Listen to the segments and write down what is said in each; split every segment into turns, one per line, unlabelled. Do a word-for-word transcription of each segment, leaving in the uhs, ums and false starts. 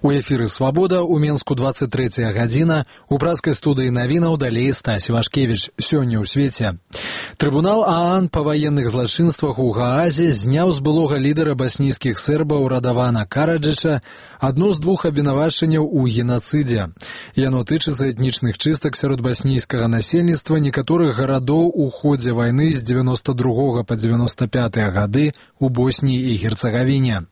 У эфіры «Свабода» у Менску двадцать третья гадзіна. У пражскай студыі навінаў далей Стась Вашкевіч. Сёння ў свеце. Трыбунал ААН па ваенных злачынствах у Гаазе зняў з былога лідара баснійскіх сербаў Радавана Караджыча адно з двух абвінавачанняў у генацыдзе. Яно тычыцца этнічных чыстак сярод баснійскага насельніцтва некаторых гарадоў у ходзе вайны з дзевяноста другога па дзевяноста пятыя гады у Босніі і Герцагавіне.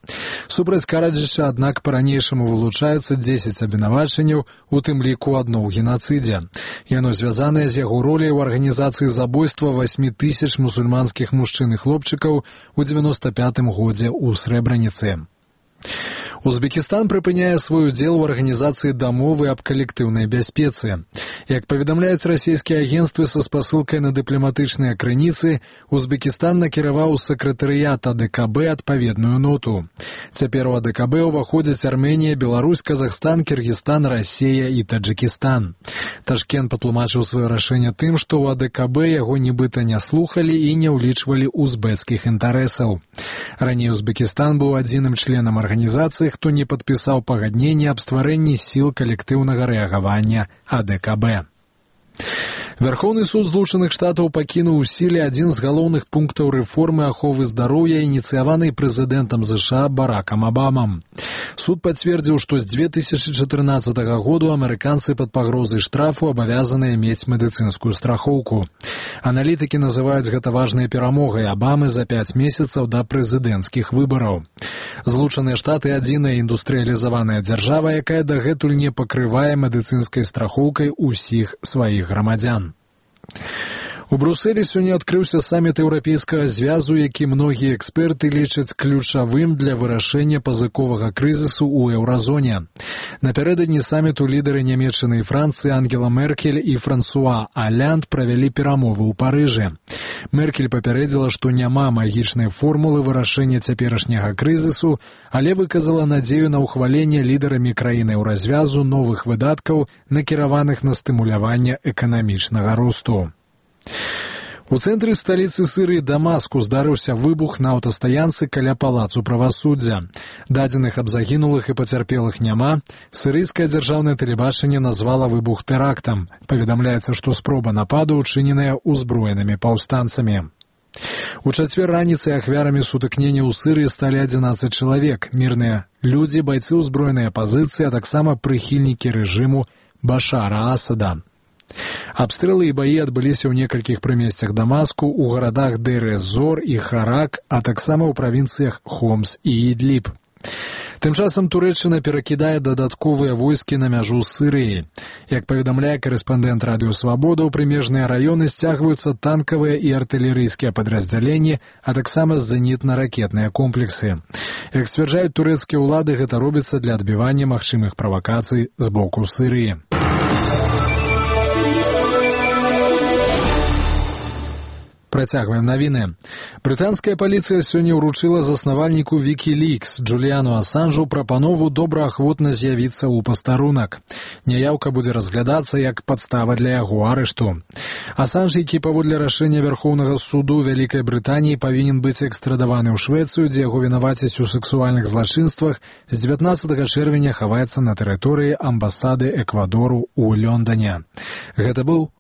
Супраць Караджыча, аднак, па-ранейшаму вылучаюцца дзесяць абвінавачанняў, у тым ліку адно ў генацыдзе. Яно звязанае з яго роляй у арганізацыі забойства васьмі тысяч мусульманскіх мужчын і хлопчыкаў у дзевяноста пятым годзе ў Срэбраніцы. Узбекістан прыпыняе свой удзел у арганізацыі дамовы аб калектыўнай бяспецы. Як паведамляюць расійскія агенцтвы са спасылкай на дыпламатычныя крыніцы, Узбекістан накіраваў у сакратарыят АДКБ адпаведную ноту. Цяпер у АДКБ уваходзяць Арменія, Беларусь, Казахстан, Кіргізстан, Расія і Таджыкістан. Ташкент патлумачыў сваё рашэнне тым, што ў АДКБ яго нібыта не слухалі і не ўлічвалі узбекскіх інтарэсаў. Раней Узбекістан быў адзіным членам арганізацыі, хто не падпісаў пагадненне аб стварэнні сіл калектыўнага рэагавання АДКБ. Вярхоўны суд Злучаных Штатаў пакінуў у сіле адзін з галоўных пунктаў рэформы аховы здароўя, ініцыяванай прэзідэнтам ЗША Баракам Абамам. Суд пацвердзіў, што з две тысячы чатырнаццатага году амерыканцы пад пагрозай штрафу абавязаныя мець медыцынскую страхоўку. Аналітыкі называюць гэта важнай перамогай Абамы за пяць месяцаў да прэзідэнцкіх выбараў. Злучаныя Штаты адзіная індустрыялізаваная дзяржава, якая дагэтуль не пакрывае медыцынскай страхоўкай усіх сваіх грамадзян. У Брусэлі сёння адкрыўся саміт еўрапейскага звязу, які многія эксперты лічаць ключавым для вырашэння пазыковага крызісу ў еўразоне. Напярэдадні саміту лідары Нямецчыны і Францыі Ангела Меркель і Франсуа Алянд правялі перамовы ў Парыжы. Меркель папярэдзіла, што няма магічнай формулы вырашэння цяперашняга крызісу, але выказала надзею на ўхваленне лідарамі краіны ў развязу новых выдаткаў, накіраваных на стымуляванне эканамічнага росту. У цэнтры сталіцы Сірыі Дамаску здарыўся выбух на аўтастаянцы каля палацу правасуддзя. Дадзеных аб загінулых і пацярпелых няма. Сірыйскае дзяржаўнае тэлебачанне назвала выбух тэрактам. Паведамляецца, што спроба нападу ўчыненая ўзброенымі паўстанцамі. У чацвер раніцай ахвярамі сутыкнення ў Сірыі сталі адзінаццаць чалавек. Мірныя людзі, байцы ўзброенай апазіцыі, а таксама прыхільнікі рэжыму Башара Асада. Абстрэлы і баі адбыліся ў некалькіх прымесцях Дамаску, у гарадах Дейр-эз-Зор і Харак, а таксама ў правінцыях Хомс і Ідліб. Тым часам Турэччына перакідае дадатковыя войскі на мяжу з Сірыяй. Як паведамляе карэспандэнт радыё «Свабода», у прымежныя раёны сцягваюцца танкавыя і артылерыйскія падраздзяленні, а таксама зенітна-ракетныя комплексы. Як сцвярджаюць турэцкія ўлады, гэта робіцца для адбівання магчымых правакацый з боку Сірыі. Працягваем навіны. Брытанская паліцыя сёння ўручыла заснавальніку Wikileaks Джуліяну Асанжу прапанову добраахвотна з'явіцца ў пастарунак. Няяўка будзе разглядацца як падстава для яго арышту. Асанж, які паводле рашэння Вярхоўнага суду Вялікай Брытаніі павінен быць экстрадаваны ў Швецыю, дзе яго вінавацяць у сексуальных злачынствах, з дзевятнаццатага чэрвеня хаваецца на тэрыторыі амбасады Эквадору ў Лондане. Гэта быў